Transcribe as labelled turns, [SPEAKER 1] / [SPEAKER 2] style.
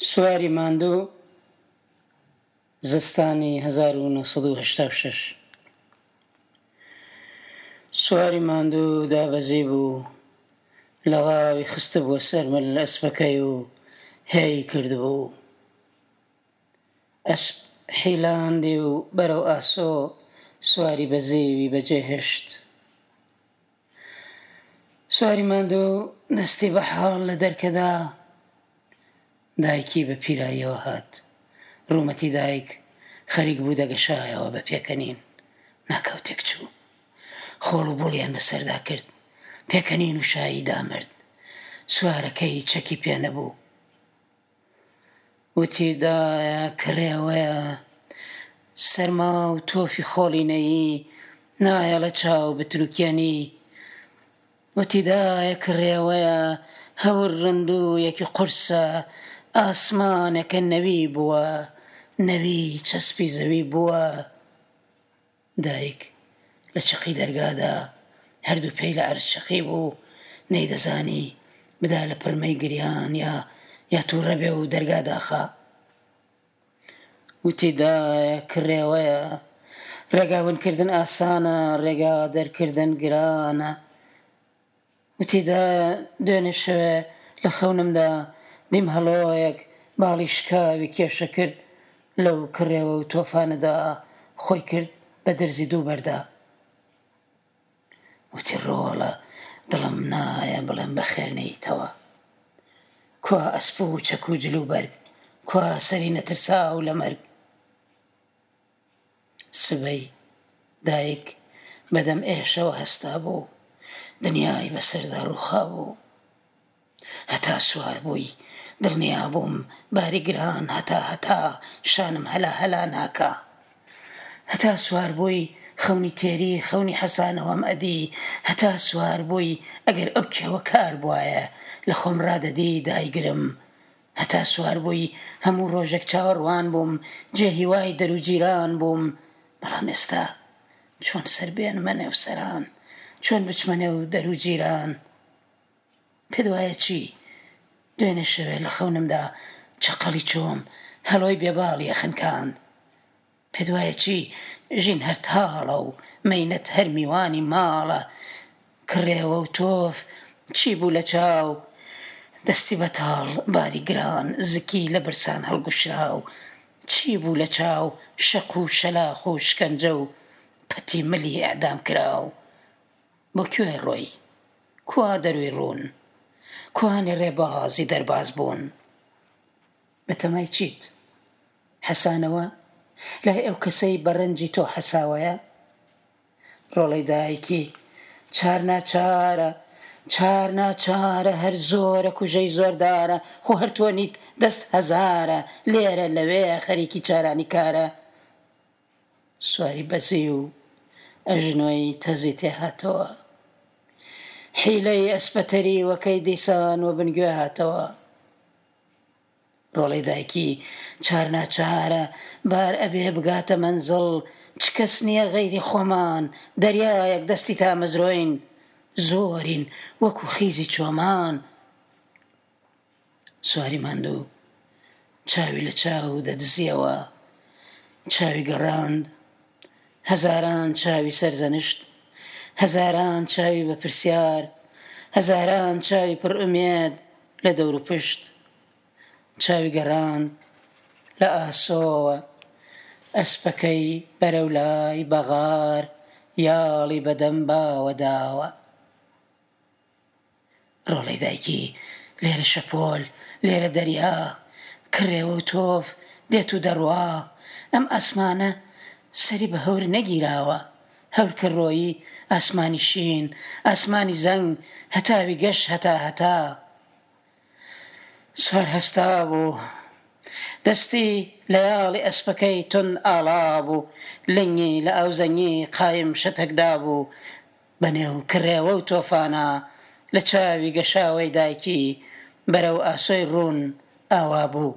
[SPEAKER 1] سواری ماندوو زستانی 1986 سواری ماندوو دابەزیبوو، لغاوی خستبووە سەر مل ئەسپەکەی و هێی کردبوو. ئەسپ حیلاندی و بەرەو ئاسۆ سواری بەزیوی بەجێ هێشت. سواری ماندوو دەستی بە حاڵ لە دەرکەدا دایکی بە پیراییەوە هات. ڕوومەتی دایک خەریک بوو دەگەشایەوە بە پێکەنین. ناکاو تێکچوو. خۆڵ و بوڵیان بەسەردا کرد. پێکەنین و شایی دامرد. سوارەکەی چەکی پێ نەبوو. وتی دایە کڕێوەیە، سەرما و تۆفی خۆڵینەیی نایەڵێ چاو بتروکێنی. وتی دایە کڕێوەیە، هەور ڕندوویەکی قورسە، ئاسمانێکە نەوی بووە، نەوی چەسپی زەوی بووە. دایک لە چەقی دەرگادا هەردوو پێی لە عەرز چەقیبوو، نەیدەزانی بدا لە پرمەی گریان یا یا تووڕە بێ و دەرگا داخا. وتی دایە کڕێوەیە، ڕێگا ونکردن ئاسانە، ڕێگا دەرکردن گرانە. وتی دایە دوێنێ شەوێ لە خەونمدا دیم هەڵۆیەک باڵی شکاوی کێشە کرد لەو کڕێوە و تۆفانەدا خۆی کرد بە درزی دوو بەردا. وتی ڕۆڵە دڵم نایە بڵێم بەخێر نێیتەوە. کوا ئەسپ و چەک و جل و بەرگ، کوا سەری نەترساو لە مەرگ. سبەی دایک بە دەم ئێشەوە هەستابوو، دنیای بەسەردا ڕووخابوو. هەتا سوار بووی دڵنیا بووم باری گران هەتا هەتا شانم هەلا هەلا ناکا. هەتا سوار بووی خەونی تێری خەونی حەسانەوەم ئەدی، هەتا سوار بووی ئەگەر ئەو کێوە کار بوایە لە خۆم ڕادەدی دایگرم. هەتا سوار بووی هەموو ڕۆژێک چاوەڕوان بووم، جێ هیوای دەر و جیران بووم، بەڵام ئێستا چۆن سەر بێنمە نێو سەران، چۆن بچمە نێو دەر و جیران؟ پێت وایە چی؟ دوێنێ شەوێ لە خەونمدا چەقەڵی چۆم هەڵۆی بێ باڵی ئەخنکاند. پێت وایە چی؟ ژین هەر تاڵە و مەینەت هەر میوانی ماڵە. کڕێوە و تۆف چی بوو لە چاو دەستی بەتاڵ باری گران زکی لە برسان هەڵگوشراو چی بوو لە چاو شەق و شەلاخ و شکەنجە و پەتی ملی ئیعدام کراو بۆ کوێ ڕۆی؟ کوا دەرووی ڕوون؟ کوانێ ڕێبازی دەرباز بوون؟ بەتەمای چیت؟ حەسانەوە؟ لای ئەو کەسەی بە ڕەنجی تۆ حەساوەیە؟ ڕۆڵەی دایکی، چار ناچارە، چار ناچارە، هەر زۆرە کوژەی زۆردارە، خۆ هەر تۆ نیت دەست هەزارە، لێرە لەوێ خەریکی چارانی کارە. سواری بەزی و ئەژنۆی تەزی تێ هاتەوە. حیلەی ئەسپە تەریوەکەی دیسان وەبن گوێ هاتەوە. ڕۆڵەی دایکی چار ناچارە بار ئەبێ بگاتە مەنزڵ چ کەس نییە غەیری خۆمان دەریایەک دەستی تامەزرۆین زۆرین وەکو خیزی چۆمان سواری ماندوو چاوی لە چاو دەدزیەوە چاوی گەڕاند هەزاران چاوی سەرزەنشت هەزاران چاوی بە پرسیار هەزاران چاوی پڕ ئومێد لە دەوروپشت چاوی گەڕاند لە ئاسۆوە ئەسپەکەی بەرەو لای بەغار یاڵی بە دەم باوە داوە. ڕۆڵەی دایکی لێرە شەپۆل لێرە دەریا کڕێوە و تۆف دێت و دەڕوا ئەم ئاسمانە سەری بە هەور نەگیراوە هەور کە ڕۆیی ئاسمانی شین ئاسمانی زەنگ هەتاوی گەش هەتا هەتا سوار هەستابوو دەستی لە یاڵی ئەسپەکەی توند ئاڵابوو لنگی لە ئاوزەنگی قایم شەتەک دابوو بە نێو کڕێوە و تۆفانا لە چاوی گەشاوەی دایکی بەرەو ئاسۆی ڕوون ئاوا بوو.